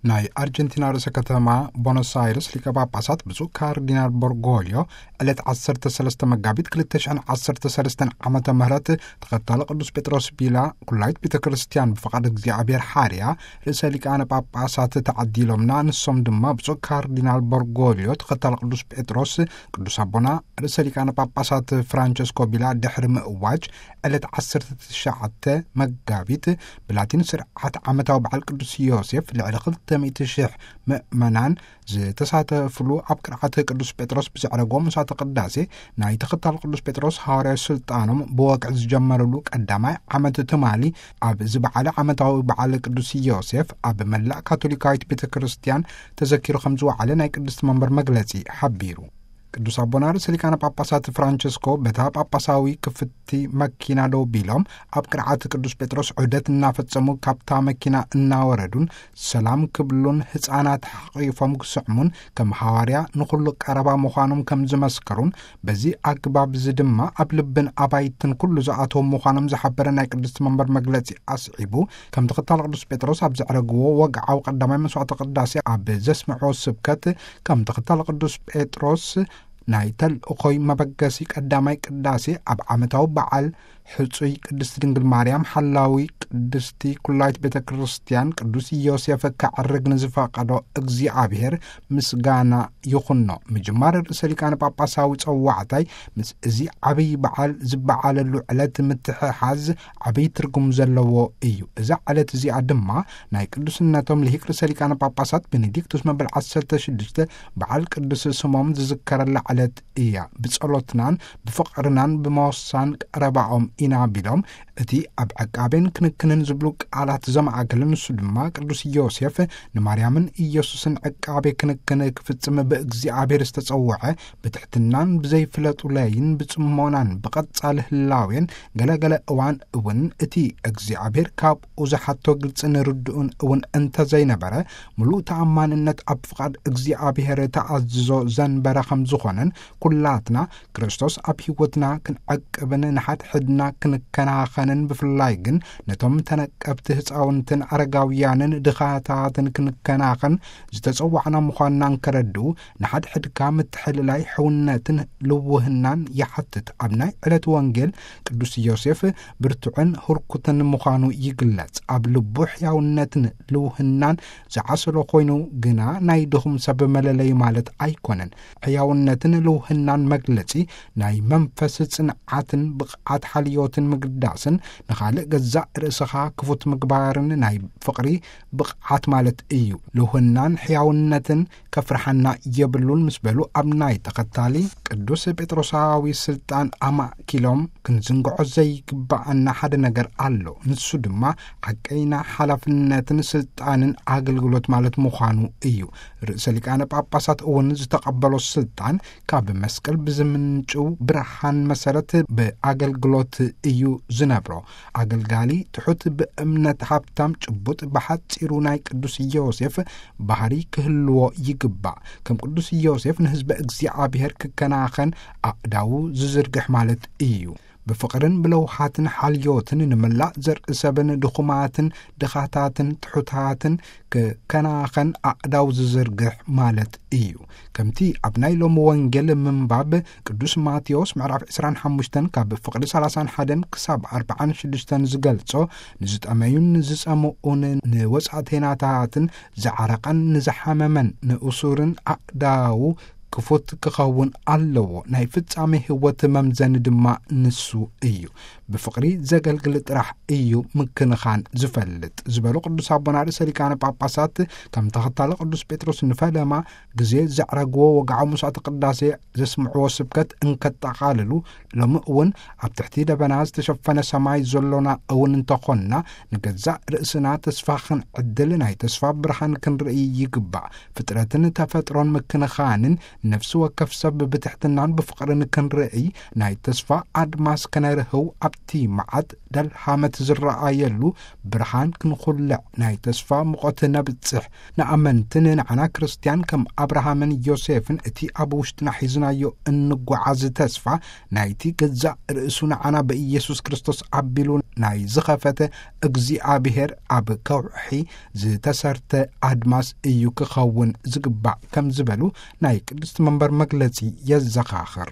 ናይ ኣርጀንቲና ርእሰ ከተማ ቦኖስ ኣይርስ ሊቀ ጳጳሳት ብፁዕ ካርዲናል ቦርጎልዮ ዕለት ዓሰርተ ሰለስተ መጋቢት ክልተ ሽሕን ዓሰርተ ሰለስተን ዓመተ ምህረት ተኸታሊ ቅዱስ ጴጥሮስ ቢላ ኩላይት ቤተ ክርስቲያን ብፍቓድ እግዚኣብሔር ሓርያ ርእሰ ሊቃነ ጳጳሳት ተዓዲሎምና። ንሶም ድማ ብፁዕ ካርዲናል ቦርጎልዮ ተኸታሊ ቅዱስ ጴጥሮስ፣ ቅዱስ ኣቦና ርእሰ ሊቃነ ጳጳሳት ፍራንቸስኮ ቢላ ድሕሪ ምእዋጅ ዕለት ዓሰርተ ትሽዓተ መጋቢት ብላቲን ስርዓት ዓመታዊ በዓል ቅዱስ ዮሴፍ ልዕሊ ክልተ ሚእቲ ሽሕ ምእመናን ዝተሳተፍሉ ኣብ ቅርዓት ቅዱስ ጴጥሮስ ብዘዕረጎ ምሳተ ቅዳሴ ናይ ተኸታል ቅዱስ ጴጥሮስ ሃዋርያዊ ስልጣኖም ብወግዒ ዝጀመረሉ ቀዳማይ ዓመት ትማሊ ኣብ ዝበዓለ ዓመታዊ በዓል ቅዱስ ዮሴፍ ኣብ መላእ ካቶሊካዊት ቤተ ክርስቲያን ተዘኪሩ ከም ዝወዓለ ናይ ቅድስቲ መንበር መግለጺ ሓቢሩ። ቅዱስ ኣቦና ርእሰ ሊቃነ ጳጳሳት ፍራንቸስኮ በታ ጳጳሳዊ ክፍቲ መኪና ደው ቢሎም ኣብ ቅርዓት ቅዱስ ጴጥሮስ ዑደት እናፈጸሙ ካብታ መኪና እናወረዱን ሰላም ክብሉን ህፃናት ሓቂፎም ክስዕሙን ከም ሃዋርያ ንኹሉ ቀረባ ምዃኖም ከም ዝመስከሩን በዚ ኣግባብ እዚ ድማ ኣብ ልብን ኣባይትን ኩሉ ዝኣተዉ ምዃኖም ዝሓበረ ናይ ቅድስቲ መንበር መግለጺ ኣስዒቡ፣ ከም ተኸታሊ ቅዱስ ጴጥሮስ ኣብ ዘዕረግዎ ወግዓዊ ቀዳማይ መስዋዕተ ቅዳሴ ኣብ ዘስምዕዎ ስብከት ከም ተኸታሊ ቅዱስ ጴጥሮስ ናይ ተልእኾይ መበገሲ ቀዳማይ ቅዳሴ ኣብ ዓመታዊ በዓል ሕጹይ ቅድስቲ ድንግል ማርያም ሓላዊ ቅድስቲ ኩላይት ቤተ ክርስቲያን ቅዱስ ዮሴፍ ከዕርግ ንዝፈቀዶ እግዚኣብሔር ምስጋና ይኹኖ። ምጅማር ርእሰ ሊቃነ ጳጳሳዊ ጸዋዕታይ ምስ እዚ ዓብይ በዓል ዝበዓለሉ ዕለት ምትሕሓዝ ዓብይ ትርጉም ዘለዎ እዩ። እዛ ዕለት እዚኣ ድማ ናይ ቅዱስነቶም ልሂቅ ርእሰ ሊቃነ ጳጳሳት ቤኔዲክቱስ መበል ዓሰርተ ሽዱሽተ በዓል ቅዱስ ስሞም ዝዝከረላ ዕለት እያ። ብጸሎትናን ብፍቕርናን ብመወሳን ቀረባኦም ኢና ቢሎም፣ እቲ ኣብ ዕቃቤን ክንክንን ዝብሉ ቃላት ዘማእከለ ንሱ ድማ ቅዱስ ዮሴፍ ንማርያምን ኢየሱስን ዕቃቤ ክንክን ክፍጽም ብእግዚኣብሔር ዝተጸውዐ፣ ብትሕትናን ብዘይፍለጡለይን ብጽሞናን ብቐጻሊ ህላዌን ገለገለ እዋን እውን እቲ እግዚኣብሔር ካብኡ ዝሓቶ ግልጽን ርድኡን እውን እንተዘይነበረ፣ ምሉእ ተኣማንነት ኣብ ፍቓድ እግዚኣብሔር ተኣዝዞ ዘንበረ ከም ዝኾነን፣ ኩላትና ክርስቶስ ኣብ ህይወትና ክንዕቅብን ንሓድሕድና ክንከናኸንን፣ ብፍላይ ግን ነቶም ተነቀብቲ ህፃውንትን ኣረጋውያንን ድኻታትን ክንከናኸን ዝተጸዋዕና ምዃንና እንከረድኡ፣ ንሓድሕድካ ምትሕልላይ ሕውነትን ልውህናን ይሓትት። ኣብ ናይ ዕለት ወንጌል ቅዱስ ዮሴፍ ብርቱዕን ህርኩትን ምዃኑ ይግለጽ። ኣብ ልቡ ሕያውነትን ልውህናን ዝዓሰሎ ኮይኑ ግና ናይ ድኹም ሰብ መለለይ ማለት ኣይኮነን። ሕያውነትን ልውህናን መግለጺ ናይ መንፈስ ጽንዓትን ብቕዓት ሓልዮትን ምግዳስን ንኻልእ ገዛእ ርእስኻ ክፉት ምግባርን ናይ ፍቕሪ ብቕዓት ማለት እዩ። ልውህናን ሕያውነትን ከፍርሓና የብሉን ምስ በሉ ኣብ ናይ ተኸታሊ ቅዱስ ጴጥሮሳዊ ስልጣን ኣማእኪሎም ክንዝንግዖ ዘይግባኣና ሓደ ነገር ኣሎ። ንሱ ድማ ሓቀይና ሓላፍነትን ስልጣንን ኣገልግሎት ማለት ምዃኑ እዩ። ርእሰ ሊቃነ ጳጳሳት እውን ዝተቐበሎ ስልጣን ካብ መስቀል ብዝምንጭው ብርሃን መሰረት ብኣገልግሎት እዩ ዝነብሮ። ኣገልጋሊ ትሑት ብእምነት ሃብታም ጭቡጥ ብሓጺሩ ናይ ቅዱስ ዮሴፍ ባህሪ ክህልዎ ይግባእ። ከም ቅዱስ ዮሴፍ ንህዝበ እግዚኣብሔር ክከናኸን ኣእዳዉ ዝዝርግሕ ማለት እዩ። ብፍቕርን ብለውሃትን ሓልዮትን ንመላእ ዘርኢ ሰብን ድኹማትን ድኻታትን ትሑታትን ክከናኸን ኣእዳው ዝዝርግሕ ማለት እዩ። ከምቲ ኣብ ናይ ሎሚ ወንጌል ምንባብ ቅዱስ ማቴዎስ ምዕራፍ ዕስራን ሓሙሽተን ካብ ፍቕዲ ሰላሳን ሓደን ክሳብ ኣርባዓን ሽዱሽተን ዝገልጾ፣ ንዝጠመዩን ንዝጸምኡን ንወጻእተይናታትን ዝዓረቐን ንዝሓመመን ንእሱርን ኣእዳዉ ክፉት ክኸውን ኣለዎ። ናይ ፍጻሜ ህይወት መምዘኒ ድማ ንሱ እዩ። ብፍቕሪ ዘገልግል ጥራሕ እዩ ምክንኻን ዝፈልጥ ዝበሉ ቅዱስ ኣቦና ርእሰ ሊቃነ ጳጳሳት፣ ከም ተኸታሊ ቅዱስ ጴጥሮስ ንፈለማ ግዜ ዘዕረግዎ ወግዓዊ መስዋዕተ ቅዳሴ ዘስምዕዎ ስብከት እንከጠቓልሉ፣ ሎሚ እውን ኣብ ትሕቲ ደበና ዝተሸፈነ ሰማይ ዘሎና እውን እንተኾንና፣ ንገዛእ ርእስና ተስፋ ክንዕድል ናይ ተስፋ ብርሃን ክንርኢ ይግባእ። ፍጥረትን ተፈጥሮን ምክንኻንን ነፍሲ ወከፍ ሰብ ብትሕትናን ብፍቕርን ክንርኢ ናይ ተስፋ ኣድማስ ከነርህው ኣብ እቲ መዓት ደልሃመት ዝረኣየሉ ብርሃን ክንኹልዕ ናይ ተስፋ ሙቐት ነብጽሕ። ንኣመንትን ንዓና ክርስትያን ከም ኣብርሃምን ዮሴፍን እቲ ኣብ ውሽጥና ሒዝናዮ እንጓዓዝ ተስፋ ናይቲ ገዛእ ርእሱ ንዓና ብኢየሱስ ክርስቶስ ኣቢሉ ናይ ዝኸፈተ እግዚኣብሔር ኣብ ከውሒ ዝተሰርተ ኣድማስ እዩ ክኸውን ዝግባእ ከም ዝበሉ ናይ ቅድስቲ መንበር መግለጺ የዘኻኽር።